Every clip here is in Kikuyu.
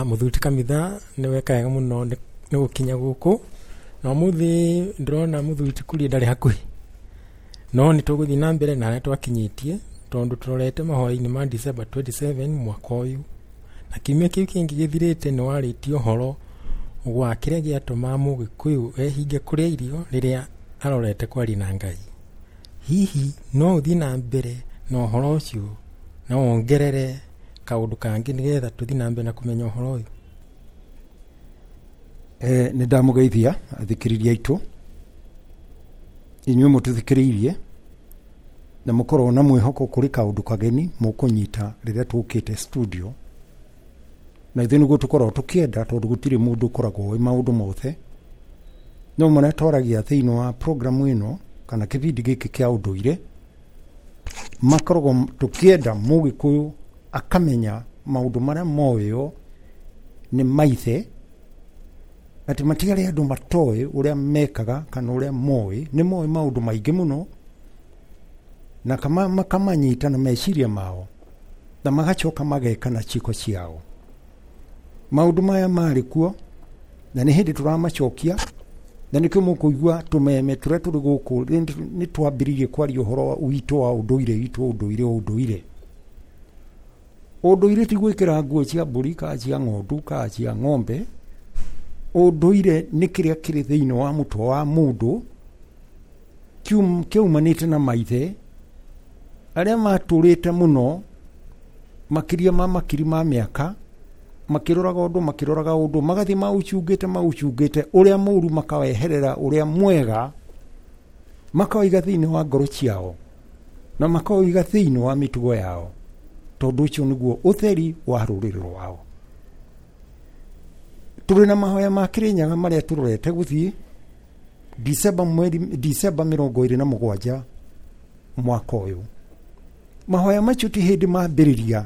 Mũthuri ti Kamitha nĩ weka wega mũno nĩ gũkinya gũkũ na ũmũthĩ ndĩrona mũthuri ti Kuria ndarĩ hakuhĩ, no nĩ tũgũthiĩ na mbere na harĩa twakinyĩtie tondũ tũrorete mahoya-inĩ ma December 27 mwaka ũyũ, na kiumia kĩu kĩngĩ gĩthirĩte nĩ warĩtie ũhoro wa kĩrĩa gĩatũmaga Mũgĩkũyũ ehinge kũrĩa irio rĩrĩa arorete kwaria na Ngai. Hihi no ũthiĩ na mbere na ũhoro ũcio na wongerere kaũndũ kangĩ nĩgetha tũthiĩ na mbere na kũmenya ũhoro ũyũ? Nĩ ndamũgeithia athikĩrĩria aitũ, inyuĩ mũtũthikĩrĩirie na mũkorwo na mwĩhoko kũrĩ kaũndũ kageni mũkũnyita rĩrĩa tũkĩte studio, na ithuĩ nĩguo tũkoragwo tũkĩenda tondũ gũtirĩ mũndũ ũkoragwo ũĩ maũndũ mothe, no marĩa twaragia thĩinĩ wa programu ĩno kana kĩbindi gĩkĩ kĩa ũndũire makoragwo tũkĩenda mũgĩkũyũ akamenya maũndũ marĩa moĩo nĩ maithe, atĩ matiarĩ andũ matoĩ ũrĩa mekaga kana ũrĩa moĩ, nĩ moĩ maũndũ maingĩ mũno na makamanyita na meciria mao na magacoka mageka na ciĩko ciao. Maũndũ maya marĩ kuo na nĩ hĩndĩ tũramacokia, na nĩkĩo mũkũigua tũmeme tũrĩa tũrĩ gũkũ nĩ twambĩrĩirie kwaria ũhoro witũ wa ũndũire witũ, ũndũire ũndũire. Ũndũire ti gwĩkĩra nguo cia mbũri kana cia ng'ondu kana cia ng'ombe. Ũndũire nĩ kĩrĩa kĩrĩ thĩinĩ wa mũtwe wa mũndũ kĩaumanĩte na maithe arĩa matũrĩte mũno makĩria ma makiri ma mĩaka makĩroraga ũndũ makĩroraga ũndũ magathiĩ maũcungĩte maũcungĩte ũrĩa mũru makaweherera ũrĩa mwega makawaiga thĩinĩ wa ngoro ciao na makawaiga thĩinĩ wa mĩtugo yao, tondũ ũcio nĩguo ũtheri wa rũrĩrĩ rwao. Tũrĩ na mahoya ma Kĩrĩnyaga marĩa tũrorete gũthiĩ December mweri December 27 mwaka ũyũ. Mahoya macio ti hĩndĩ mambĩrĩria,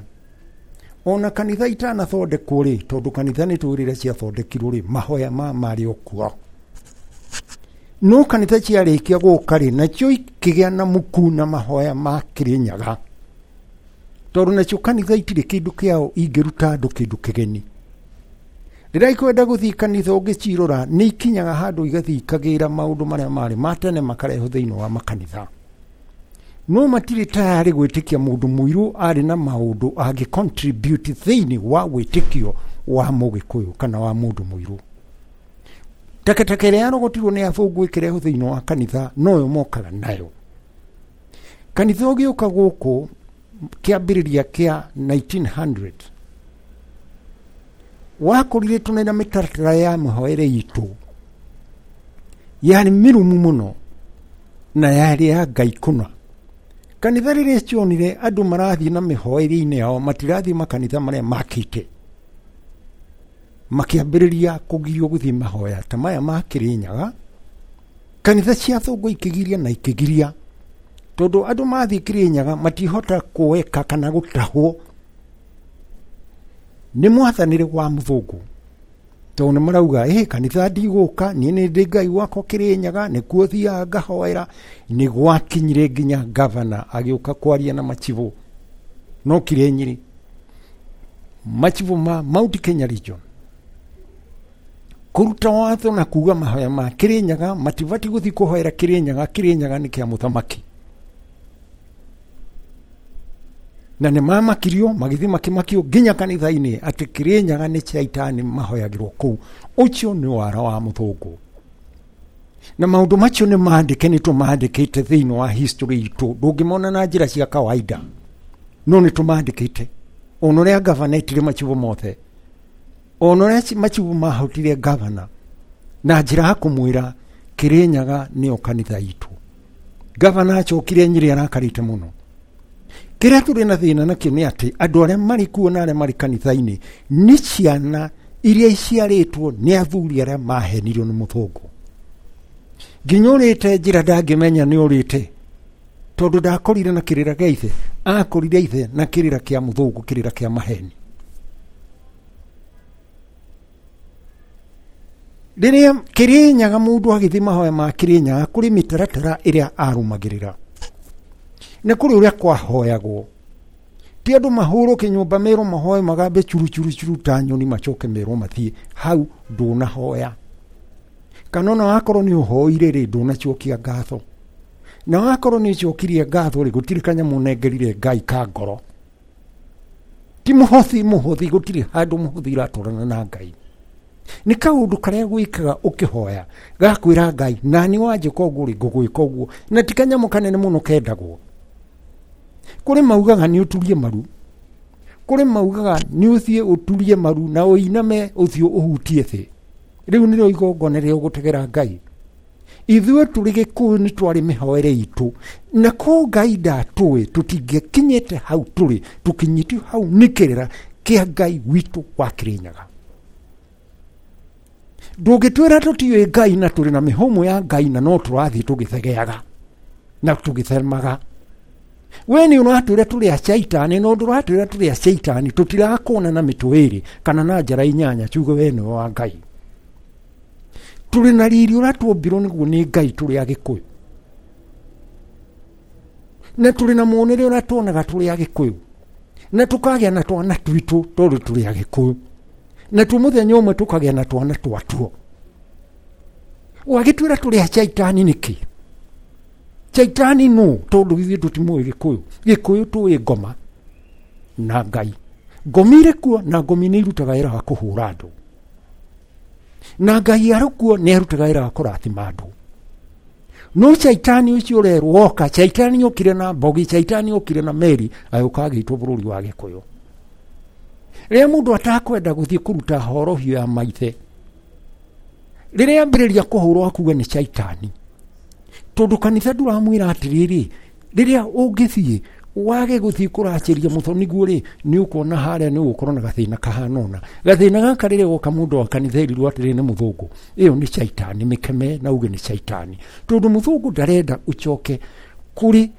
ona kanitha itanathondekwo rĩ, tondũ kanitha nĩ tũĩ rĩrĩa ciathondekirwo rĩ, mahoya ma marĩ o kuo. No kanitha ciarĩkia gũka rĩ, nacio ikĩgĩa na muku na mahoya ma Kĩrĩnyaga, tondũ nacio kanitha itirĩ kĩndũ kĩao ingĩruta andũ kĩndũ kĩgeni. Rĩrĩa ikwenda gũthiĩ kanitha ũngĩcirora nĩ ikinyaga handũ igathiĩ ikagĩra maũndũ marĩa marĩ ma tene makarehwo thĩinĩ wa makanitha, no matirĩ tayarĩ gwĩtĩkia mũndũ mũirũ arĩ na maũndũ angĩ contribute thĩinĩ wa wĩtĩkio wa mũgĩkũyũ kana wa mũndũ mũirũ. Takataka ĩrĩa yarogotirwo nĩ athũngũ ĩkĩrehwo thĩinĩ wa kanitha noyo mokaga nayo. Kanitha ũgĩũka gũkũ kĩambĩrĩria kĩa 1900 wakorire tũna na mĩtaratara ya mĩhoere itũ yarĩ mĩrũmu mũno na yarĩ ya Ngai kũna. Kanitha rĩrĩa cionire andũ marathiĩ na mĩhoere-inĩ yao matirathiĩ makanitha marĩa makĩte, makĩambĩrĩria kũgirio gũthiĩ mahoya ta maya ma Kĩrĩnyaga. Kanitha cia athũngũ ikĩgiria na ikĩgiria, tondũ andũ mathiĩ Kĩrĩnyaga matihota kũeka kana gũtahwo nĩ mwathanĩre wa mũthũngũ, tondũ nĩ marauga ĩ kanitha ndigũka, niĩ nĩ ndĩ Ngai wakwa Kĩrĩnyaga, nĩkuo thiaga ngahoera. Nĩ gwakinyire nginya gavana agĩũka kwaria na machibũ, no kire Nyĩrĩ, machibũ ma Mount Kenya region kũruta watho na kuga mahoya ma Kĩrĩnyaga matibati gũthiĩ kũhoera Kĩrĩnyaga, Kĩrĩnyaga nĩ kĩa mũthamaki. Na nĩ mamakirio magĩthiĩ makĩmakio nginya kanitha-inĩ atĩ Kĩrĩnyaga nĩ caitani mahoyagĩrwo kũu. Ũcio nĩ wara wa mũthũngũ, na maũndũ macio nĩ mandĩke, nĩ tũmandĩkĩte thĩinĩ wa history itũ, ndũngĩmona na njĩra cia kawaida, no nĩ tũmandĩkĩte. Ona ũrĩa gavana etire machibũ mothe, ona ũrĩa machibũ mahotire gavana na njĩra ya kũmwĩra Kĩrĩnyaga nĩyo kanitha itũ. Gavana acokire Nyĩrĩ arakarĩte mũno. Kĩrĩa tũrĩ na thĩna nakĩo nĩ atĩ andũ arĩa marĩ kuo na arĩa marĩ kanitha-inĩ nĩ ciana iria iciarĩtwo nĩ athuri arĩa mahenirio nĩ mũthũngũ. Nginya ũrĩte njĩra ndangĩmenya nĩ ũrĩte, tondũ ndakorire na kĩrĩra kĩa ithe, akorire ithe na kĩrĩra kĩa mũthũngũ, kĩrĩra kĩa maheni. Rĩrĩa Kĩrĩnyaga mũndũ agĩthiĩ mahoya ma Kĩrĩnyaga kũrĩ mĩtaratara ĩrĩa arũmagĩrĩra, na kũrĩ ũrĩa kwahoyagwo. Ti andũ mahũrũke nyũmba merwo mahoe magambe churu churu churu ta nyoni macoke merwo mathiĩ. Hau ndũnahoya. Kana ona wakorwo nĩ ũhoire rĩ, ndũnacokia ngatho. Na wakorwo nĩ ũcokirie ngatho rĩ, gũtirĩ kanyamũ ũnengerire Ngai ka ngoro. Ti mũhothi mũhothi, gũtirĩ handũ mũhothi ũratwarana na Ngai. Nĩ kaũndũ karĩa gwĩkaga ũkĩhoya gakwĩra Ngai nani wanjĩka ũguo rĩ, ngũgwĩka ũguo. Na ti kanyamũ kanene mũno kendagwo. Kũrĩ maugaga nĩ ũturie maru, kũrĩ maugaga nĩ ũthiĩ ũturie maru na ũiname ũthiũ ũhutie thĩ. Rĩu nĩrĩo igongona rĩrĩa ũgũtegera Ngai. Ithuĩ tũrĩ Gĩkũyũ nĩ twarĩ mĩhoere itũ, na ko Ngai ndatũĩ tũtingĩkinyĩte hau tũrĩ, tũkinyĩtio hau nĩ kĩrĩra kĩa Ngai witũ wa Kĩrĩnyaga. Ndũngĩtwĩra tũtiũĩ Ngai na tũrĩ na mĩhũmũ ya Ngai na no tũrathiĩ tũgĩthegeaga na tũgĩthemaga. We nĩ ũratwĩra tũrĩ a caitani, no ndũratwĩra tũrĩ a caitani, tũtirakuona na mĩtwe ĩrĩ kana na njara inyanya tuge we nĩwe wa Ngai. Tũrĩ na riri ũrĩa tuombirwo nĩguo nĩ Ngai tũrĩ Agĩkũyũ, na tũrĩ na muonere ũrĩa tuonaga tũrĩ Agĩkũyũ, na tũkagĩa na twana twitũ tondũ tũrĩ Agĩkũyũ, na tu mũthenya ũmwe tũkagĩa na twana twatuo. Wagĩtwĩra tũrĩ a caitani nĩkĩ? Caitani nũ? Tondũ ithuĩ tũtimũĩ Gĩkũyũ. Gĩkũyũ tũĩ ngoma na Ngai. Ngomi irĩ kuo na ngomi nĩ irutaga wĩra wa kũhũra andũ, na Ngai arĩ kuo nĩ arutaga wĩra wa kũrathima andũ. No caitani ũcio ũrerwo oka, caitani okire na mbogi, caitani okire na meri, agĩũka agĩitwo bũrũri wa Gĩkũyũ. Rĩrĩa mũndũ atakwenda gũthiĩ kũruta horohio ya maithe, rĩrĩa ambĩrĩria kũhũrwo akuga nĩ caitani, tondũ kanitha ndũramwĩra atĩrĩrĩ, rĩrĩa ũngĩthiĩ wage gũthiĩ kũracĩria mũthoniguo rĩ, nĩ ũkuona harĩa nĩ ũgũkorwo na gathĩna kahana ũna. Gathĩna gaka rĩrĩa goka mũndũ wa kanitha erirwo atĩrĩ nĩ mũthũngũ, ĩyo nĩ caitani, mĩkeme na uge nĩ caitani, tondũ mũthũngũ ndarenda ũcoke kũrĩ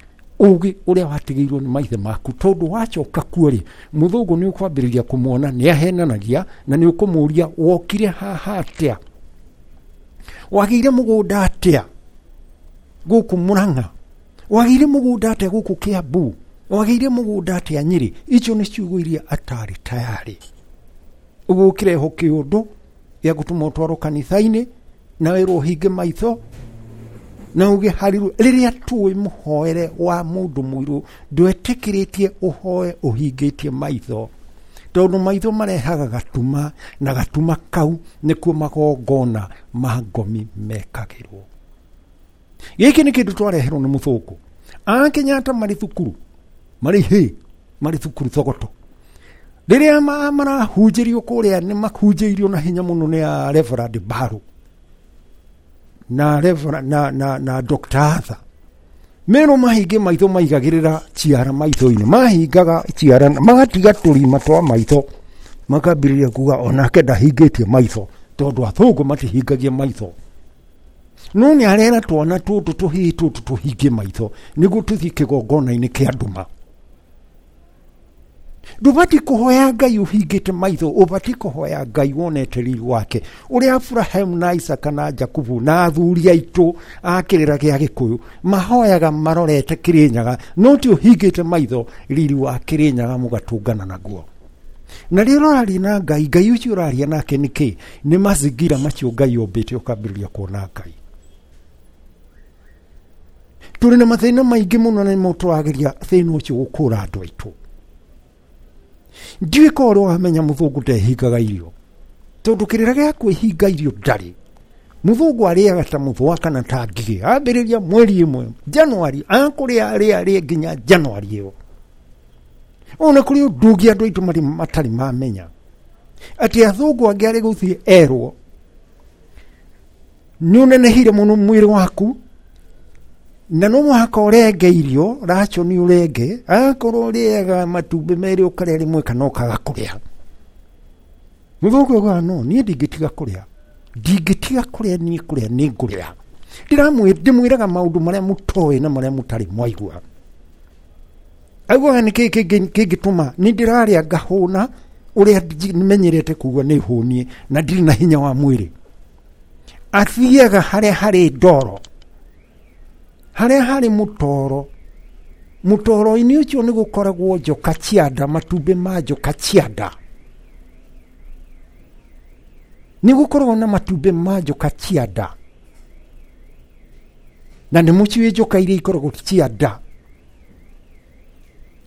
ũgĩ ũrĩa watigĩirwo nĩ maithe maku, tondũ wacoka kuo rĩ, mũthũngũ nĩ ũkwambĩrĩria kũmuona nĩ ahenanagia, na nĩ ũkũmũria wokire haha atĩa, wagĩire mũgũnda atĩa gũkũ Mũrang'a, wagĩire mũgũnda atĩa gũkũ Kĩambu, wagĩire mũgũnda atĩa Nyĩrĩ. Icio nĩ ciugo iria atarĩ tayarĩ. Ũguo ũkĩrehwo kĩũndũ gĩa gũtũma ũtwarwo kanitha-inĩ na wĩrwo ũhinge maitho na uge harirũ. Rĩrĩa tũĩ mũhoere wa mũndũ mũirũ ndwetĩkĩrĩtie ũhoe ũhingĩtie maitho, tondũ maitho marehaga gatuma, na gatuma kau nĩkuo magongona ma ngomi mekagĩrwo. Gĩkĩ nĩ kĩndũ twareherwo nĩ mũthũngũ. A Kenyatta marĩ thukuru, marĩ hĩ, marĩ thukuru Thogoto. Rĩrĩa marahunjĩrio kũrĩa nĩ mahunjĩirio na hinya mũno nĩ a Reverend Baru na Reverend, na Dr. Arthur. Merwo mahinge maitho maigagĩrĩra ciara maitho-inĩ, mahingaga ciara magatiga tũrima twa maitho, makambĩrĩria kuga onake ndahingĩtie maitho, tondũ athũngũ matihingagia maitho. No nĩ arera twana tũtũ tũhĩĩ tũtũ tũhingie maitho nĩguo tũthiĩ kĩgongona-inĩ kĩa nduma. Ndũbatiĩ kũhoya Ngai ũhingĩte maitho, ũbatiĩ kũhoya Ngai wonete riri wake, ũrĩa Abrahamu na Isaka na Jakubu na athuri aitũ a kĩrĩra gĩa Gĩkũyũ mahoyaga marorete Kĩrĩnyaga, no ti ũhingĩte maitho riri wa Kĩrĩnyaga mũgatũngana naguo. Na rĩrĩa ũraria na Ngai, Ngai ũcio ũraria nake nĩ kĩ? Nĩ mazingira macio Ngai ombĩte ũkambĩrĩria kuona Ngai. Tũrĩ na mathĩna maingĩ mũno na nĩmo tũrageria thĩna ũcio gũkũra andũ aitũ. Ndiũĩ korwo ũrĩa wamenya mũthũngũ ndehingaga irio, tondũ kĩrĩra gĩa kwĩhinga irio ndarĩ. Mũthũngũ arĩaga ta mũthũa kana ta ngigĩ, ambĩrĩria mweri ĩmwe Januari, akũrĩa arĩa arĩe nginya Januari ĩyo. Ona kũrĩ ũndũ ũngĩ andũ aitũ matarĩ mamenya, atĩ athũngũ angĩ arĩ gũthiĩ erwo nĩ ũnenehire mũno mwĩrĩ waku na no mũhaka ũrenge irio, racio nĩ ũrenge, akorwo ũrĩaga matumbĩ merĩ ũkarĩa rĩmwe kana ũkaga kũrĩa. Mũthũngũ augaga no niĩ ndingĩtiga kũrĩa, ndingĩtiga kũrĩa, niĩ kũrĩa nĩ ngũrĩa. Ndĩmwĩraga maũndũ marĩa mũtoĩ na marĩa mũtarĩ mwaigua. Augaga nĩ kĩĩ kĩngĩtũma nĩ ndĩrarĩa ngahũna ũrĩa menyerete kuga nĩ hũnie na ndirĩ na hinya wa mwĩrĩ. Athiaga harĩa harĩ ndoro, harĩa harĩ mũtoro, Mũtoro-inĩ ũcio nĩ gũkoragwo njoka cia nda, matumbĩ ma njoka cia nda. Nĩ gũkoragwo na matumbĩ ma njoka cia nda. Na nĩ mũciĩ njoka iria ikoragwo cia nda.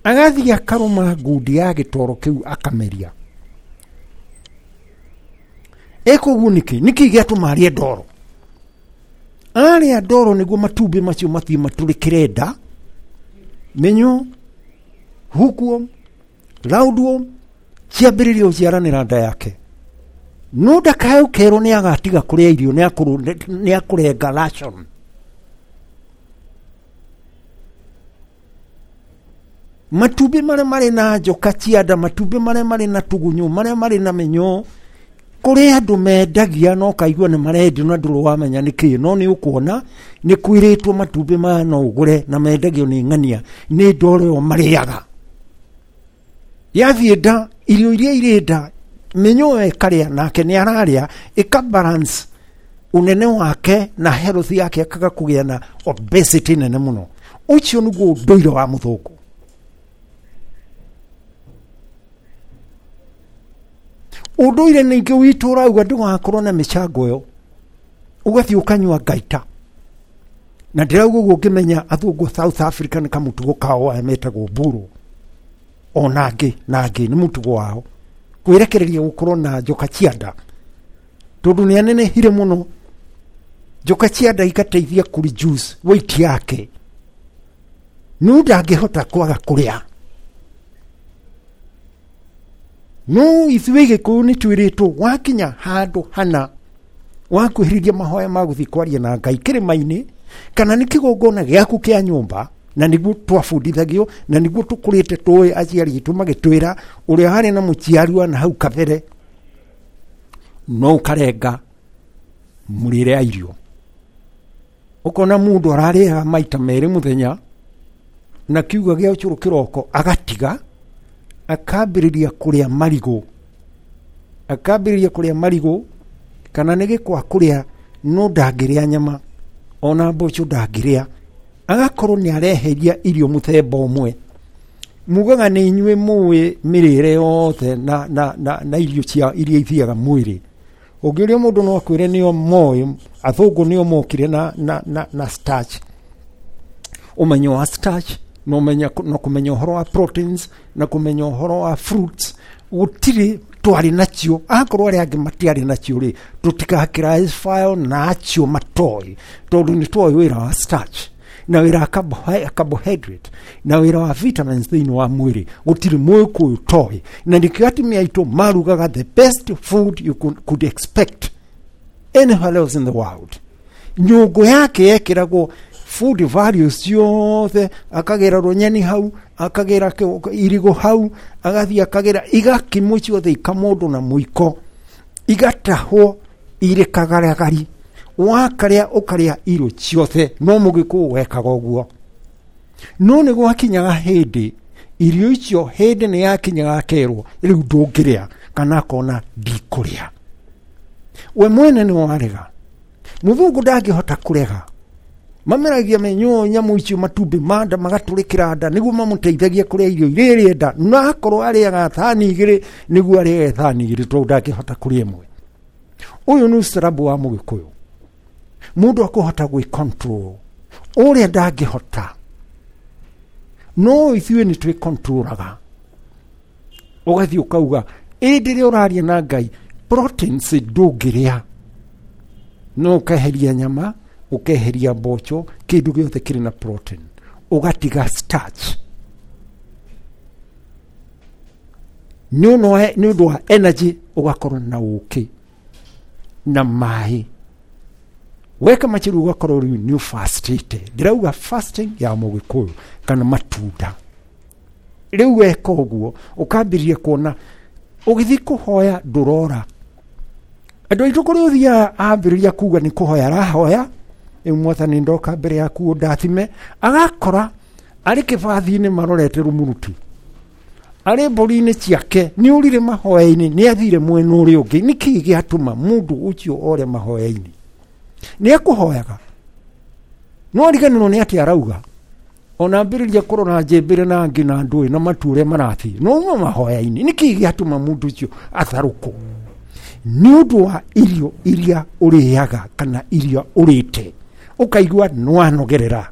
Agathiĩ akarũma ngundi ya gĩtoro kĩu akameria. Eka ũguo nĩkĩ? Nĩkĩ gĩatũma arĩe ndoro? Arĩa ndoro nĩguo matumbĩ macio mathiĩ matũrĩkĩre nda, mĩnyoo, hookworm, roundworm, ciambĩrĩrie gũciaranĩra nda yake. No ndakae ũkerwo nĩ agatiga kũrĩa irio, nĩ akũrenga ration. Matumbĩ marĩa marĩ na njoka cia nda, matumbĩ marĩa marĩ na tũgunyũ, marĩa marĩ na mĩnyoo, kũrĩ andũ mendagia no kaigua nĩ marendio na ndũrĩ wamenya nĩ kĩ, no nĩ ũkuona nĩ kwĩrĩtwo matumbĩ maya no ũgũre na mendagio nĩ ng'ania, nĩ ndoro ĩyo marĩaga. Yathiĩ nda, irio iria irĩ nda, mĩnyoo ĩyo ĩkarĩa nake nĩ ararĩa, ĩka balance unene wake na health yake, akaga kũgĩa na obesity nene mũno. Ũcio nĩguo ũndũire wa mũthũngũ. Ũndũire ningĩ witũ ũrauga ndũgakorwo na mĩcango ĩyo, ũgathiĩ ũkanyua ngaita. Na ndĩrauga ũguo ngĩmenya athũngũ South Africa nĩ kamũtugo kao aya metagwo mburu, ona angĩ na angĩ nĩ mũtugo wao kwĩrekereria gũkorwo na njoka cia nda, tondũ nĩ anenehire mũno. Njoka cia nda igateithia kũ reduce weight yake, no ndangĩhota kwaga kũrĩa. No ithuĩ Gĩkũyũ nĩ twĩrĩtwo wakinya handũ hana wakuhĩrĩria mahoya ma gũthiĩ kwaria na Ngai kĩrĩma-inĩ, kana nĩ kĩgongona gĩaku kĩa nyũmba, na nĩguo twabundithagio na nĩguo tũkũrĩte tũĩ aciari aitũ magĩtwĩra ũrĩa harĩ na mũciari na hau kabere, no ũkarenga mũrĩre ya irio. Ũkona mũndũ ararĩaga maita merĩ mũthenya na kiuga gĩa ũcũrũ kĩroko agatiga, akambĩrĩria kũrĩa marigũ, akambĩrĩria kũrĩa marigũ kana nĩ gĩkwa kũrĩa, no ndangĩrĩa nyama ona mboco ndangĩrĩa, agakorwo nĩ areheria irio mũthemba ũmwe. Mugaga nĩ inyuĩ mũĩ mĩrĩre yothe na irio cia iria ithiaga mwĩrĩ. Ũngĩũria mũndũ no akwĩre nĩo moĩ, athũngũ nĩo mokire na starch, ũmenyo wa starch na ũmenya na kũmenya ũhoro wa proteins na kũmenya ũhoro wa fruits. Gũtirĩ twarĩ nacio, akorwo arĩa angĩ matiarĩ nacio rĩ, tũtigakĩrae na acio matoĩ, tondũ nĩ twoĩ wĩra wa starch na wĩra wa carbohydrate na wĩra wa vitamins thĩinĩ wa mwĩrĩ. Gũtirĩ mũgĩkũyũ toĩ, na nĩkĩo atumia aitũ marugaga the best food you could expect anywhere else in the world. Nyũngũ yake yekĩragwo food values ciothe, akagĩra rũnyeni hau, akagĩra irigũ hau, agathiĩ akagĩra igakimwo ciothe ikamũndũ na mũiko, igatahwo irĩ kagaragari, wakarĩa ũkarĩa irio ciothe. No mũgĩkũyũ wekaga ũguo, no nĩ gwakinyaga hĩndĩ irio icio, hĩndĩ nĩ yakinyaga akerwo rĩu ndũngĩrĩa, kana akona ndikũrĩa. We mwene nĩ warega, mũthũngũ ndangĩhota kũrega. Mameragia mĩnyoo nyamũ icio matumbĩ ma nda magatũrĩkĩra nda nĩguo mamũteithagia kũrĩa irio iria ĩrenda, na akorwo arĩaga thani igĩrĩ nĩguo arĩage thani igĩrĩ, tondũ ndangĩhota kũrĩa ĩmwe. Ũyũ nĩ ũcarabu wa mũgĩkũyũ, mũndũ akũhota gwĩ control ũrĩa ndangĩhota, no ithuĩ nĩ twĩ controlaga. Ũgathiĩ ũkauga ĩndĩ rĩrĩa ũraria na Ngai proteins ndũngĩrĩa, no ũkeheria nyama, ũkeheria mboco, kĩndũ gĩothe kĩrĩ na protein, ũgatiga starch nĩ ũndũ wa energy, ũgakorwo na ũkĩ na maĩ. Weka machiru ũgakorwo rĩu nĩ ũfastĩte. Ndĩrauga fasting ya mũgĩkũyũ kana matunda. Rĩu weka ũguo ũkambĩrĩria kuona ũgĩthiĩ kũhoya ndũrora. Andũ aitũ kũrĩa ũthiaga ambĩrĩria kuga nĩ kũhoya arahoya, rĩu mwathani ndoka mbere yaku ũndathime, agakora arĩ kĩbathi-inĩ marorete rumuruti, arĩ mbũri-inĩ ciake nĩ ũrire mahoya-inĩ, nĩ athire mwena ũrĩa ũngĩ. Nĩkĩ gĩatũma mũndũ ũcio ore mahoya-inĩ? Nĩ ekũhoyaga no ariganĩrwo nĩ atĩ arauga. Ona ambĩrĩria kũrora njĩmbĩre na angĩ na ndũĩ na matu ũrĩa marathiĩ no uma mahoya-inĩ. Nĩkĩ gĩatũma mũndũ ũcio atharũkwo? Nĩ ũndũ wa irio iria ũrĩaga kana iria ũrĩte ũkaigua nĩwanogerera.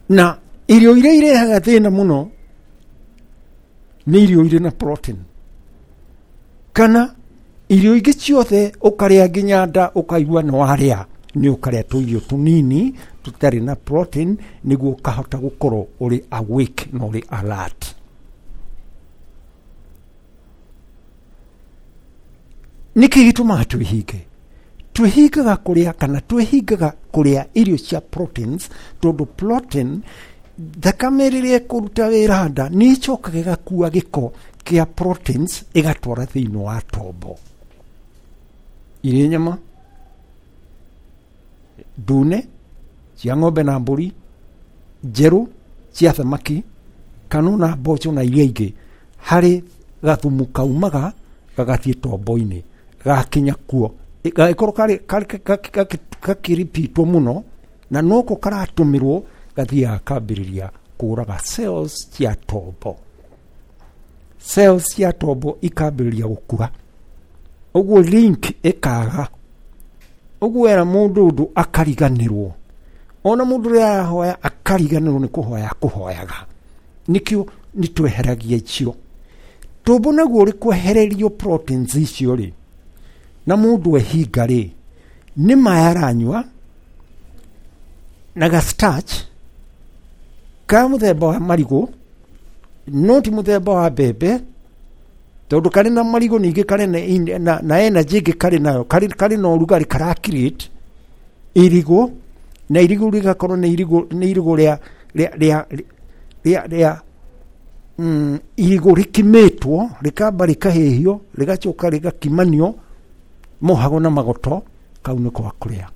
Na irio iria irehaga thĩna mũno nĩ irio irĩ na protein kana irio ingĩ ciothe ũkarĩa nginya nda ũkaigua nĩwarĩa, nĩ ũkarĩa tũirio tũnini tũtarĩ na protein nĩguo ũkahota gũkorwo ũrĩ awake na ũrĩ alert. Nĩkĩ gĩtũmaga twĩhinge? Twĩhingaga kũrĩa kana twĩhingaga kũrĩa irio cia proteins tondũ protein thakame rĩrĩa ĩkũruta wĩra nda nĩ ĩcokaga ĩgakua gĩko kĩa proteins ĩgatwara thĩinĩ wa tombo. Irĩ nyama ndune cia ng'ombe na mbũri, njerũ cia thamaki kana ona mboco na iria ingĩ, harĩ gathumu kaumaga gagathiĩ tombo-inĩ gakinya kuo gagĩkorwo gakĩripitwo mũno na noko karatũmĩrwo gathiaga kambĩrĩria kũraga cells cia tombo. Cells cia tombo ikambĩrĩria gũkua, ũguo link ĩkaga, ũguo era mũndũ ũndũ akariganĩrwo, ona mũndũ ũrĩa arahoya akariganĩrwo nĩ kũhoya kũhoyaga. Nĩkĩo nĩ tweheragia icio tombo naguo ũrĩ kwehererio proteins icio rĩ, na mũndũ ehinga rĩ, nĩ maĩ aranyua na ga starch ka mũthemba wa marigũ, no ti mũthemba wa mbembe tondũ karĩ na marigũ ningĩ karĩ na energy ĩngĩ karĩ nayo, karĩ na ũrugarĩ kara create irigũ, na irigũ rĩgakorwo nĩ irigũ rĩa irigũ rĩkimĩtwo rĩkamba rĩkahĩhio rĩgacoka rĩgakimanio mohago na magoto, kau nĩko gakũrĩa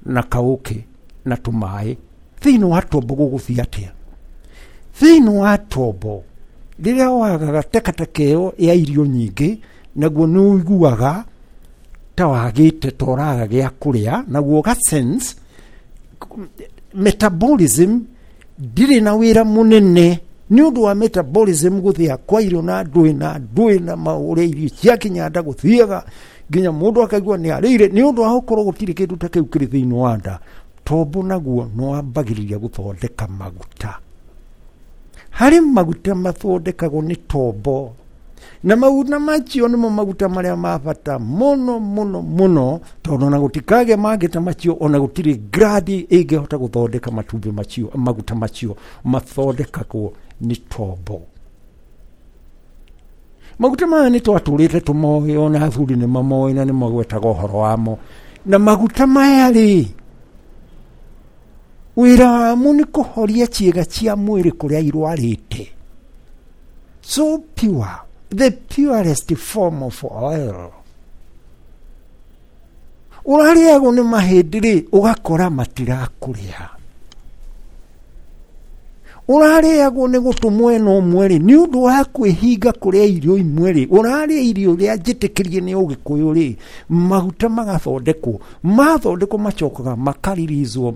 na kaũkĩ na tũmaĩ. Thĩinĩ wa tombo gũgũthiĩ atĩa? Thĩinĩ wa tombo rĩrĩa wagaga takataka ĩyo ya irio nyingĩ, naguo nĩ ũiguaga ta wagĩte ta ũraga gĩa kũrĩa, naguo ga sense metabolism ndirĩ na wĩra mũnene nĩ ũndũ wa metabolism gũthĩa kwa irio na ndũĩ na ndũĩ na maũrĩa irio ciakinya nda gũthiaga nginya mũndũ akaigua nĩ arĩire nĩ ũndũ wa gũkorwo gũtirĩ kĩndũ ta kĩu kĩrĩ thĩinĩ wa nda. Tombo naguo nĩ wambagĩrĩria gũthondeka maguta. Harĩ maguta mathondekagwo nĩ tombo, na maguta macio nĩmo maguta marĩa ma bata mũno mũno mũno, tondũ ona gũtikagĩa mangĩ ta macio, ona gũtirĩ gradi ĩngĩhota gũthondeka matumbĩ macio, maguta macio mathondekagwo nĩ tombo. Maguta maya nĩ twatũrĩte tũmoĩ, ona athuri nĩ mamoĩ na nĩ magwetaga ũhoro wamo. Na maguta maya rĩ, wĩra wamo nĩ kũhoria ciĩga cia mwĩrĩ kũrĩa irwarĩte. So pure, the purest form of oil. Ũrarĩagwo nĩ mahĩndĩ rĩ, ũgakora matirakũrĩa. Ũrarĩagwo nĩ gũtũ mwena ũmwe rĩ, nĩ ũndũ wa kwĩhinga kũrĩa irio imwe rĩ, ũrarĩa irio iria njĩtĩkĩrie nĩ ũgĩkũyũ rĩ, maguta magathondekwo, mathondekwo macokaga makaririzwo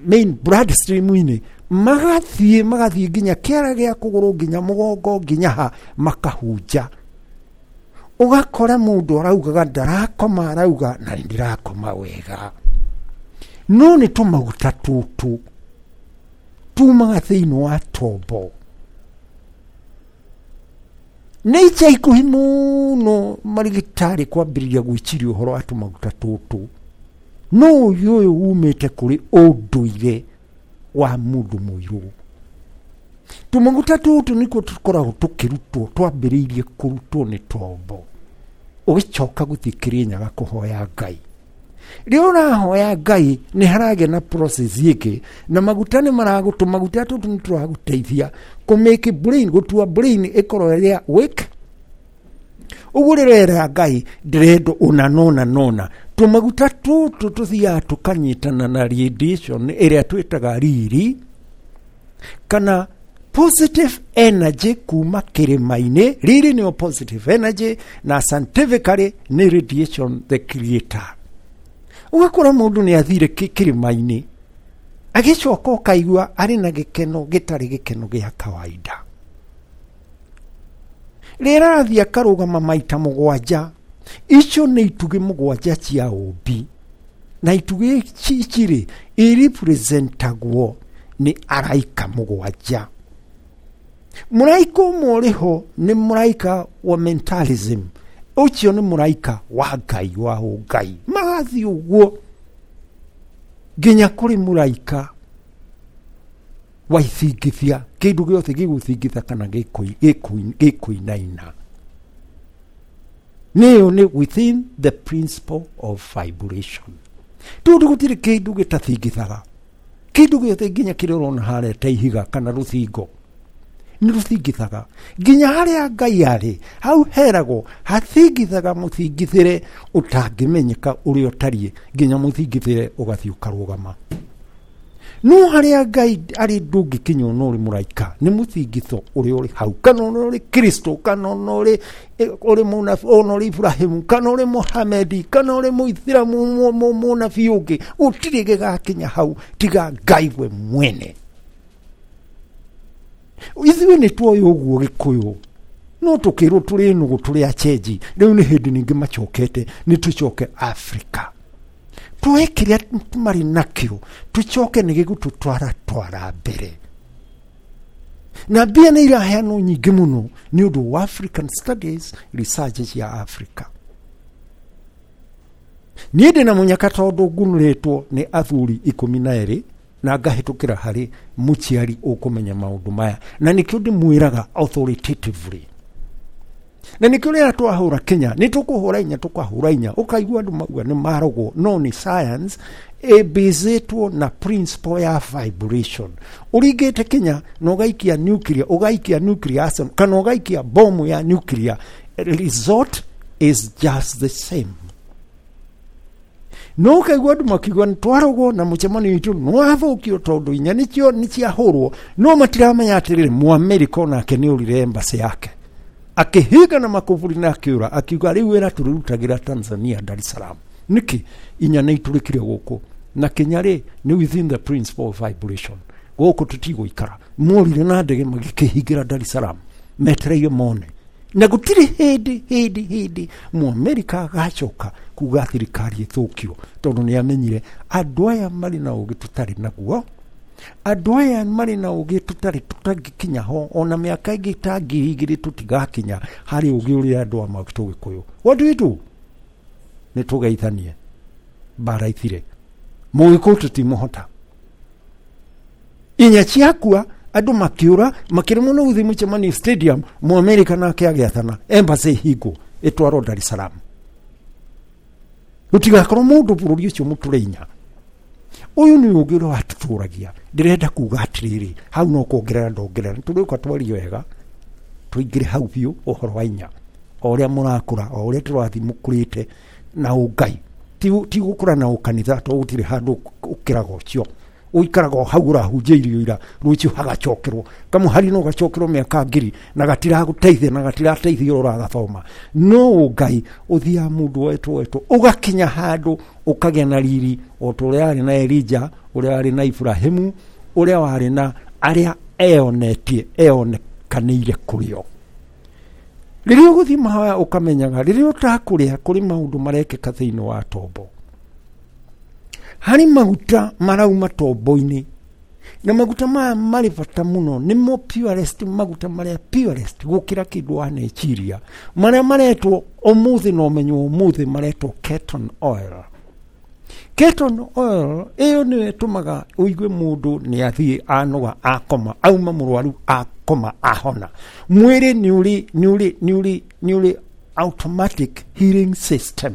main blood stream-inĩ, magathiĩ nginya kĩara gĩa kũgũrũ nginya mũgongo nginya ha, makahunja. Ũgakora mũndũ araugaga ndarakoma, arauga na ndirakoma wega. No nĩ tũmaguta tũtũ tumaga thĩinĩ wa tombo. Nĩ ica ikuhĩ mũno marigitari kwambĩrĩria gwĩciria ũhoro wa tũmaguta tũtũ, no ũyũ umĩte kũrĩ ũndũire wa mũndũ mũirũ. Tũmaguta tũtũ nĩkuo tũkoragwo tũkĩrutwo, twambĩrĩirie kũrutwo nĩ tombo, ũgĩcoka gũthiĩ Kĩrĩnyaga kũhoya Ngai. Rĩrĩa ũrahoya Ngai nĩ haragĩa na process ĩngĩ, na maguta nĩ maragũtũ, maguta tũtũ nĩ tũragũteithia kũ make brain, gũtua brain ĩkorwo ĩrĩa wake. Ũguo rĩrĩa ũrera Ngai ndĩrenda ũna nona nona, tũmaguta tũtũ tũthiaga tũkanyitana na radiation ĩrĩa twĩtaga riri kana positive energy kuma kĩrĩma-inĩ. Riri nĩyo positive energy na scientifically nĩ radiation the creator. Ũgakora mũndũ nĩ athire kĩrĩma-inĩ, agĩcoka ũkaigua arĩ na gĩkeno gĩtarĩ gĩkeno gĩa kawaida. Rĩrĩa arathiĩ akarũgama maita 7, icio nĩ itugĩ 7 cia ũmbi, na itugĩ ici rĩ irepresentagwo nĩ araika 7. Mũraika ũmwe ũrĩ ho nĩ mũraika wa mentalism, ũcio nĩ mũraika wa Ngai wa ũngai. Magathiĩ ũguo nginya kũrĩ mũraika wa ithingithia, kĩndũ gĩothe gĩgũthingitha kana gĩkũinaina. Nĩyo nĩ within the principle of vibration. Tondũ gũtirĩ kĩndũ gĩtathingithaga, kĩndũ gĩothe nginya kĩrĩa ũrona harĩa ta ihiga kana rũthingo nĩ rũthingithaga, nginya harĩa Ngai arĩ hau heragwo hathingithaga mũthingithĩre ũtangĩmenyeka ũrĩa ũtariĩ, nginya mũthingithĩre ũgathiĩ ũkarũgama. No harĩa Ngai arĩ ndũngĩkinya ona ũrĩ mũraika, nĩ mũthingitho ũrĩa ũrĩ hau, kana ona ũrĩ Kristo, kana ona ũrĩ mũnabii, ona ũrĩ Ibrahimu, kana ũrĩ Muhamedi, kana ũrĩ Mũithĩramu, mũnabii ũngĩ, gũtirĩ gĩgakinya hau tiga Ngai we mwene. Ithuĩ nĩ tuoĩ ũguo Gĩkũyũ, no tũkĩrwo tũrĩ nũgũ, tũrĩ achenji. Rĩu nĩ hĩndĩ ningĩ macokete, nĩ tũcoke Afrika, tuoe kĩrĩa marĩ nakĩo, tũcoke nĩ gĩgũtũtwara twara mbere. Na mbia nĩ iraheanwo nyingĩ mũno nĩ ũndũ wa African Studies research cia Africa. Niĩ ndĩ na mũnyaka tondũ ngunũrĩtwo nĩ athuri 12 na ngahĩtũkĩra harĩ mũciari ũkũmenya maũndũ maya, na nĩkĩo ndĩmwĩraga authoritatively. Na nĩkĩo rĩrĩa twahũra Kenya nĩ tũkũhũra inya, tũkahũra inya, ũkaigua andũ mauga nĩ marogwo, no nĩ science ĩbĩzĩtwo na principle ya vibration. Ũringĩte Kenya na ũgaikia nuclear, ũgaikia nuclear arsenal, kana ũgaikia bomu ya nuclear, result is just the same. No ũkaigua andũ makiuga nĩ twarogwo na mũcemanio witũ nĩ wathũkio tondũ inya nĩcio nĩ ciahũrwo, no matiramenya atĩrĩrĩ, Mũamerika onake nĩ orire embassy yake, akĩhinga na makũburi na akĩũra, akiuga rĩu wĩra tũrĩrutagĩra Tanzania, Dar es Salaam. Nĩkĩ inya nĩ itũrĩkire gũkũ? Na Kenya rĩ nĩ within the principle of vibration, gũkũ tũtigũikara. Morire na ndege magĩkĩhingĩra Dar es Salaam, metereire mone. Na gũtirĩ hĩndĩ hĩndĩ hĩndĩ Mũamerika agacoka kuga thirikari ĩthũkio, tondũ nĩ amenyire andũ aya marĩ na ũgĩ tũtarĩ naguo, andũ aya marĩ na ũgĩ tũtarĩ tũtangĩkinya ho, ona mĩaka ĩngĩ ta 2000 tũtigakinya harĩ ũgĩ ũrĩa andũ a Gĩkũyũ. What do we do? Nĩ tũgeithanie mbara ithire, Mũgĩkũyũ tũtimũhota. Inya ciakua andũ makĩũra makĩremwo nĩ gũthiĩ mũcemanio stadium, Mũamerika nake agĩathana embassy ĩhingwo ĩtwarwo Dar es Salaam, gũtigakorwo mũndũ bũrũri ũcio mũtũre inya. Ũyũ nĩ ũngĩ ũrĩa watũtũragia. Ndĩrenda kuga atĩrĩrĩ, hau no kuongerera ndongerera, tũrĩũka twarie wega, tũingĩre hau biũ ũhoro wa inya, o ũrĩa mũrakũra, o ũrĩa tũrathiĩ mũkũrĩte na ũngai, ti gũkũra na ũkanitha, tondũ gũtirĩ handũ ũkĩraga ũcio, ũikaraga o hau ũrahunjia irio ira, rũciũ hagacokerwo kamũhari, no gacokerwo mĩaka 1000 na gatiragũteithia na gatirateithia ũragathoma. No ũngai ũthiaga mũndũ wetwo wetwo ũgakinya handũ ũkagĩa na riri o ta ũrĩa warĩ na Elija, ũrĩa warĩ na Ibrahimu, ũrĩa warĩ na arĩa eonetie eonekanĩire kũrĩ o. Rĩrĩa ũgũthiĩ mahoya ũkamenyaga rĩrĩa ũtakũrĩa kũrĩ maũndũ marekĩka thĩinĩ wa tombo. Harĩ maguta marauma tombo-inĩ, na maguta maya marĩ bata mũno, nĩmo purest, maguta marĩa purest gũkĩra kĩndũ waneciria, marĩa maretwo ũmũthĩ na ũmenyo ũmũthĩ maretwo ketone oil. Ketone oil ĩyo nĩyo ĩtũmaga ũigue mũndũ nĩ athiĩ anoga akoma, auma mũrwaru akoma ahona. Mwĩrĩ nĩ ũrĩ nĩ ũrĩ nĩ ũrĩ nĩ ũrĩ automatic healing system.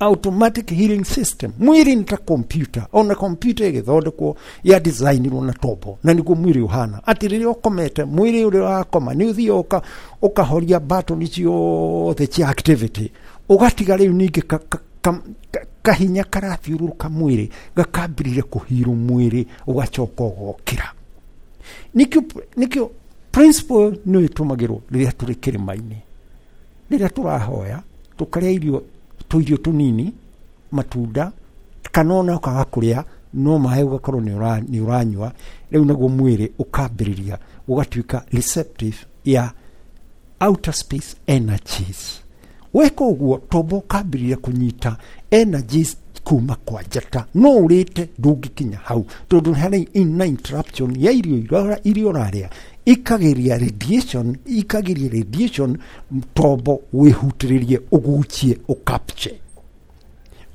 Automatic healing system. Mwĩrĩ nĩ ta computer, ona computer ĩgĩthondekwo ya designirwo na tombo, na nĩguo mwĩrĩ ũhana. Atĩ rĩrĩa ũkomete, mwĩrĩ ũrĩa wakoma nĩ ũthiaga ũkahoria button ciothe cia activity, ũgatiga rĩu ningĩ kahinya karathiũrũrũka mwĩrĩ, gakambĩrĩria kũhirwo mwĩrĩ, ũgacoka ũgokĩra. Nĩkĩo principle nĩyo ĩtũmagĩrwo rĩrĩa tũrĩ kĩrĩma-inĩ, rĩrĩa tũrahoya tũkarĩa irio tũirio tũnini. matunda kana ona ũkaga kũrĩa no maĩ ũgakorwo nĩ ũranyua rĩu naguo mwĩrĩ ũkambĩrĩria ũgatuĩka receptive ya outer space energies. Weka ũguo tombo ũkambĩrĩria kũnyita energies kuma kwa njata no ũrĩte ndũngĩkinya hau tondũ harĩ ina interruption ya irio iria ũrarĩa ikageria radiation tombo wĩhutĩrĩrie ũgucie ũkapche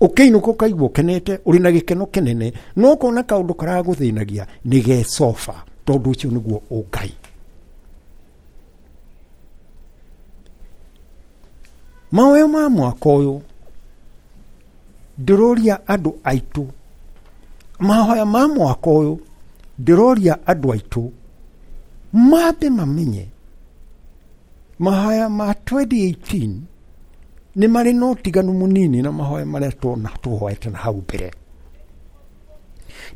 ũkĩinũka ũkaigua ũkenete ũrĩ na gĩkeno kĩnene no ũkona kaũndũ karagũthĩnagia nĩ gecoba tondũ ũcio nĩguo ũngai. Mahoya ma mwaka ũyũ ndĩroria andũ aitũ, mahoya ma mwaka ũyũ ndĩroria andũ aitũ mambe mamenye mahoya ma 2018 nĩ marĩ na ũtiganu mũnini na mahoya marĩa tũhoete na hau mbere.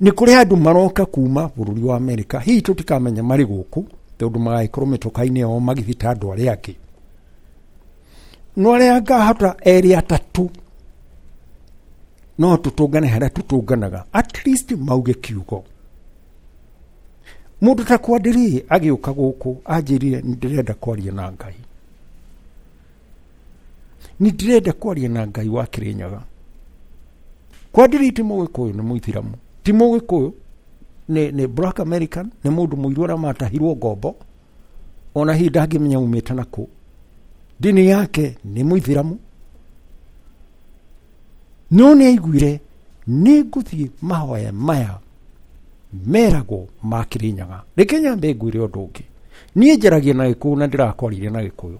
Nĩ kũrĩ andũ maroka kuma bũrũri wa Amerika, hihi tũtikamenya marĩ gũkũ tondũ magagĩkorwo mĩtoka-inĩ yao magĩthiĩ ta andũ arĩa angĩ, no arĩa ngahota erĩ atatũ no tũtũngane harĩa tũtũnganaga at least mauge kiugo. Mũndũ ta Kwadiri agĩũka gũkũ anjĩrire nĩ ndĩrenda kwaria na Ngai, nĩ ndĩrenda kwaria na Ngai wa Kĩrĩnyaga. Kwadiri ti Mũgĩkũyũ, nĩ Mũithiramu, ti Mũgĩkũyũ, nĩ Black American, nĩ mũndũ mũirũ ũrĩa matahirwo ngombo, ona hihi ndangĩmenya umĩte nakũ, ndini yake nĩ Mũithiramu, no nĩ aiguire nĩ ngũthiĩ mahoya maya meragwo ma Kĩrĩnyaga. Reke nyambe ngwĩre ũndũ ũngĩ, niĩ njaragia na Gĩkũyũ na ndĩrakwaririe na Gĩkũyũ.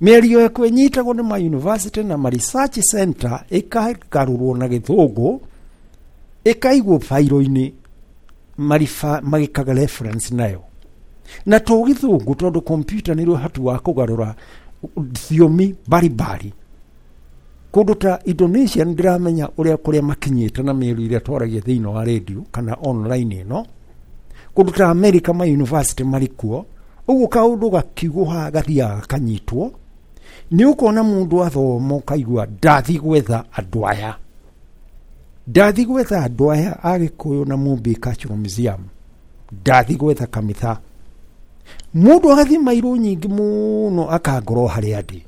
Mĩario yakwa ĩnyitagwo nĩ ma university na ma research center ĩkagarũrwo na Gĩthũngũ ĩkaigwo bairo-inĩ magĩkaga reference nayo na to Gĩthũngũ tondũ computer nĩ ũhoti wa kũgarũra thiomi mbarimbari. Kũndũ ta Indonesia nĩ ndĩramenya ũrĩa kũrĩa makinyĩte na mĩario ĩrĩa twaragia thĩinĩ wa radio kana online ĩno. Kũndũ ta America ma university marĩ kuo, ũguo kaũndũ gakiugwo haha gathiaga gakanyitwo. Nĩ ũkona mũndũ athoma ũkaigua ndathi gwetha andũ aya, ndathi gwetha andũ aya a Gĩkũyũ na Mũmbi Cultural Museum, ndathi gwetha kamitha. Mũndũ agathiĩ mairũ nyingĩ mũno akangorwo harĩa ndĩ.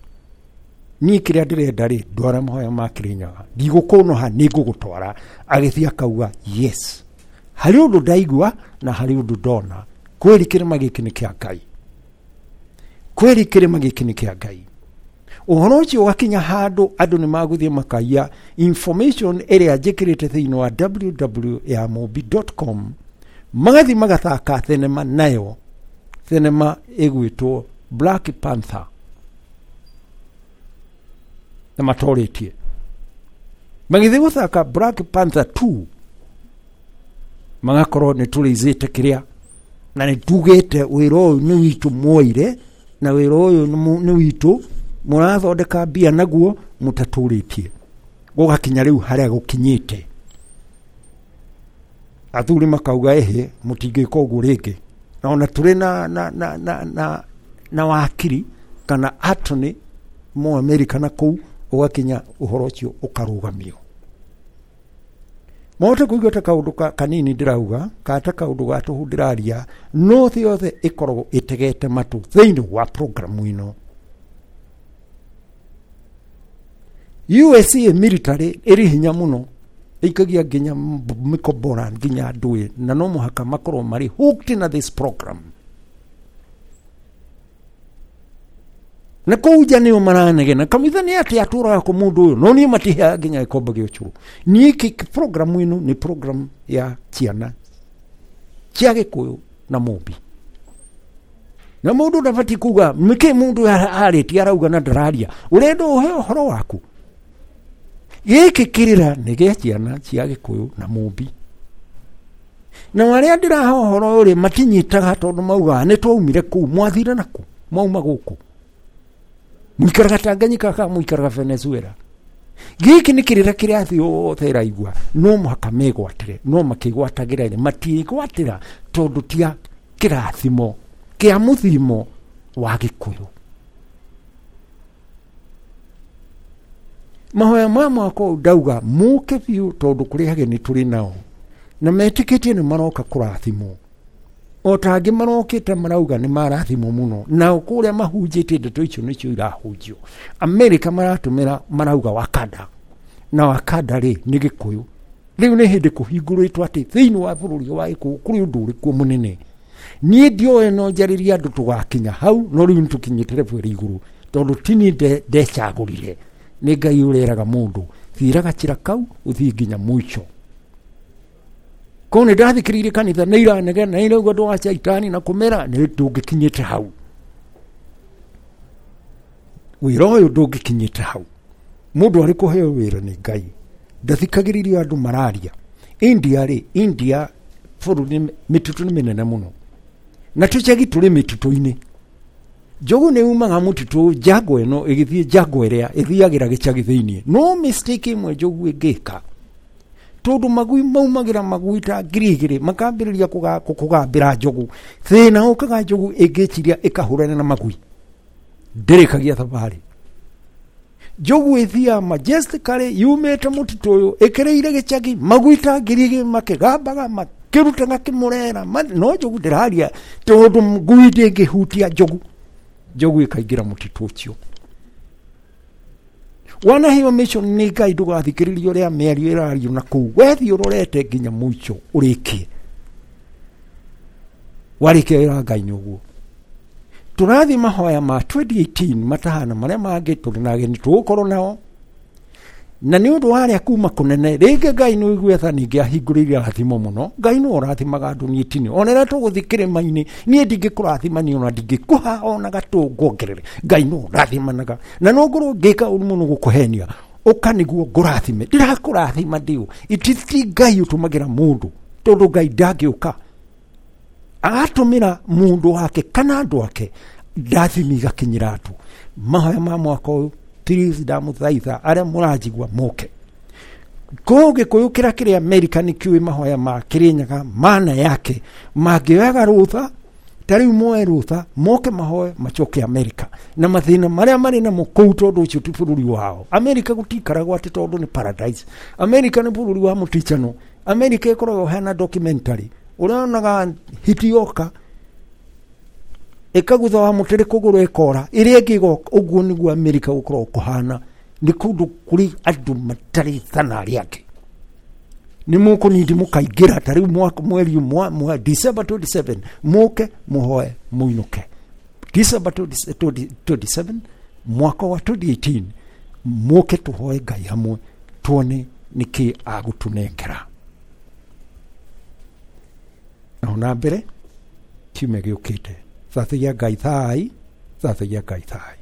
Niĩ kĩrĩa ndĩrenda rĩ, ndwara mahoya ma Kĩrĩnyaga, ndigũkũnoha nĩ ngũgũtwara. Agĩthiĩ akauga yes, harĩ ũndũ ndaigua na harĩ ũndũ ndona, kweri kĩrĩma gĩkĩ nĩ kĩa Ngai, kweri kĩrĩma gĩkĩ nĩ kĩa Ngai. Ũhoro ũcio ũgakinya handũ andũ nĩ magũthiĩ makaiya information ĩrĩa njĩkĩrĩte thĩinĩ wa www.yamũmbi.com, magathiĩ magathaka thenema nayo, thenema ĩgwĩtwo Black Panther, na matorĩtie magĩthiĩ gũthaka Black Panther 2, magakorwo nĩ tũrĩizĩte kĩrĩa na nĩ tugĩte wĩra ũyũ nĩ witũ mwoire na wĩra ũyũ nĩ witũ mũrathondeka mbia naguo mũtatũrĩtie. Gũgakinya rĩu harĩa gũkinyĩte, athuri makauga ĩhĩ mũtingĩka ũguo rĩngĩ. Na ona tũrĩ na wakiri kana attorney mo America na kũu, ũgakinya ũhoro ũcio ũkarũgamio. Mahote kũigua ta kaũndũ kanini ndĩrauga kana ta kaũndũ ga tũhũ ndĩraria, no thĩ yothe ĩkoragwo ĩtegete matũ thĩinĩ wa programu ĩno. USA military ĩrĩ hinya mũno, ĩikagia nginya mĩkombora nginya ndũĩ, na no mũhaka makorwo marĩ hooked na this program. Na kũu nja nĩo maranegena kamitha nĩ atĩ atũraga kũ mũndũ ũyũ, no niĩ matiheaga nginya gĩkombe gĩa ũcũrũ. Niĩ programu ĩno nĩ program ya ciana cia Gĩkũyũ na Mũmbi, na mũndũ ndabatiĩ kuga nĩkĩ mũndũ arĩtie arauga na ndararia, ũrenda ũhe ũhoro waku. Gĩkĩ kĩrĩra nĩ gĩa ciana cia Gĩkũyũ na Mũmbi, na arĩa ndĩrahe ũhoro ũyũ rĩ matinyitaga tondũ maugaga nĩ twaumire kũu, mwathire nakũ, mwauma gũkũ, mũikaraga Tanganyika kana mũikaraga Venezuela. Gĩkĩ nĩ kĩrĩra kĩrĩa thĩ yothe ĩraigua, no mũhaka megwatĩre, no makĩgwatagĩra rĩ matiĩgwatĩra tondũ ti a kĩrathimo kĩa mũthimo wa Gĩkũyũ. Mahoya ma mwaka ũyũ ndauga mũke biũ tondũ kũrĩ ageni tũrĩ nao na metĩkĩtie nĩ maroka kũrathimwo o ta angĩ marokĩte marauga nĩ marathimwo mũno nao kũrĩa mahunjĩtie ndeto icio nĩcio irahunjio. Amerika maratũmĩra marauga Wakanda, na Wakanda rĩ nĩ Gĩkũyũ. Rĩu nĩ hĩndĩ kũhingũrĩtwo atĩ thĩinĩ wa bũrũri wa Gĩkũyũ kũrĩ ũndũ ũrĩkũ mũnene. Niĩ ndioĩ no njarĩrie andũ tũgakinya hau, no rĩu nĩtũkinyĩte level ĩrĩ igũrũ tondũ ti niĩ ndecagũrire, nĩ Ngai ũreraga mũndũ thiĩra gacĩra kau ũthiĩ nginya mũico. Korwo nĩ ndathikĩrĩirie kanitha nĩ iranegena nĩ irauga andũ wa caitani na kũmera, nĩ ndũngĩkinyĩte hau. Wĩra ũyũ ndũngĩkinyĩte hau. Mũndũ arĩ kũheo wĩra nĩ Ngai ndathikagĩrĩrio andũ mararia. India rĩ, India bũrũri mĩtitũ nĩ mĩnene mũno na tũcagi tũrĩ mĩtitũ-inĩ. Njogu nĩ umaga mũtitũ njango ĩno ĩgĩthiĩ njango ĩrĩa ĩthiagĩra gĩcagi thĩinĩ. No mistake ĩmwe njogu ĩngĩka, tondũ magui maumagĩra magui ta 2000 makambĩrĩria kũgambĩra njogu. Thĩna ũkaga njogu ĩngĩciria ĩkahũrana na magui, ndĩrĩkagia thabarĩ. Njogu ĩthiaga majestically yumĩte mũtitũ ũyũ ĩkĩrĩire gĩcagi, magui ta 2000 makĩgambaga makĩrutaga kĩmũrera, no njogu ndĩraria tondũ ngui ndĩngĩhutia njogu. Njogu ĩkaingĩra mũtitũ ũcio. Wanaheo mission nĩ Ngai, ndũgathikĩrĩrie ũrĩa mĩario ĩrario na kũu, wethiĩ ũrorete nginya mũico ũrĩkie. Warĩkia wĩra Ngai nĩ ũguo. Tũrathiĩ mahoya ma 2018 matahana marĩa mangĩ, tũrĩ na ageni tũgũkorwo nao, na nĩ ũndũ wa arĩa kuma kũnene rĩngĩ Ngai nĩ ũigue tha ningĩ ahingũrĩire rathimo mũno. Ngai nĩ ũrathimaga andũ, niĩ tini ona rĩrĩa tũgũthiĩ kĩrĩma-inĩ niĩ ndingĩkũrathima niĩ ona ndingĩkũha ona gatũ nguongerere. Ngai nĩ ũrathimanaga na no ngorwo ngĩka ũru mũno gũkũhenia, ũka nĩguo ngũrathime, ndirakũrathima ndĩũ. Ti Ngai ũtũmagĩra mũndũ, tondũ Ngai ndangĩũka agatũmĩra mũndũ wake kana andũ ake ndathimi igakinyĩra andũ. Mahoya ma mwaka ũyũ please ndamũthaitha arĩa mũranjigua moke. Kũu Gĩkũyũ kĩrĩa kĩrĩ Amerika nĩ kĩũĩ mahoya ma Kĩrĩnyaga mana yake, mangĩoyaga rũtha ta rĩu moe rũtha moke mahoe macoke Amerika na mathĩna marĩa marĩ namo kũu, tondũ ũcio ti bũrũri wao. Amerika gũtiikaragwo atĩ tondũ nĩ paradise. Amerika nĩ bũrũri wa mũticano. Amerika ĩkoragwo hena documentary ũrĩa onaga hiti yoka ĩkagutha wa mũtĩ kũgũrũ ĩkora ĩrĩa ĩngĩ ĩgoka. Ũguo nĩguo Amerika gũkoragwo kũhana, nĩ kũndũ kũrĩ andũ matarĩ thana arĩa angĩ. Nĩ mũkũnindi mũkaingĩra ta rĩu mwaka mweri mwa December 27 mũke mũhoe mũinũke. December 27 mwaka wa 2018 mũke tũhoe Ngai hamwe tuone nĩkĩ agũtũnengera. Naho na mbere kiumia gĩũkĩte. Thathaia Ngai thai, thathaia Ngai thai.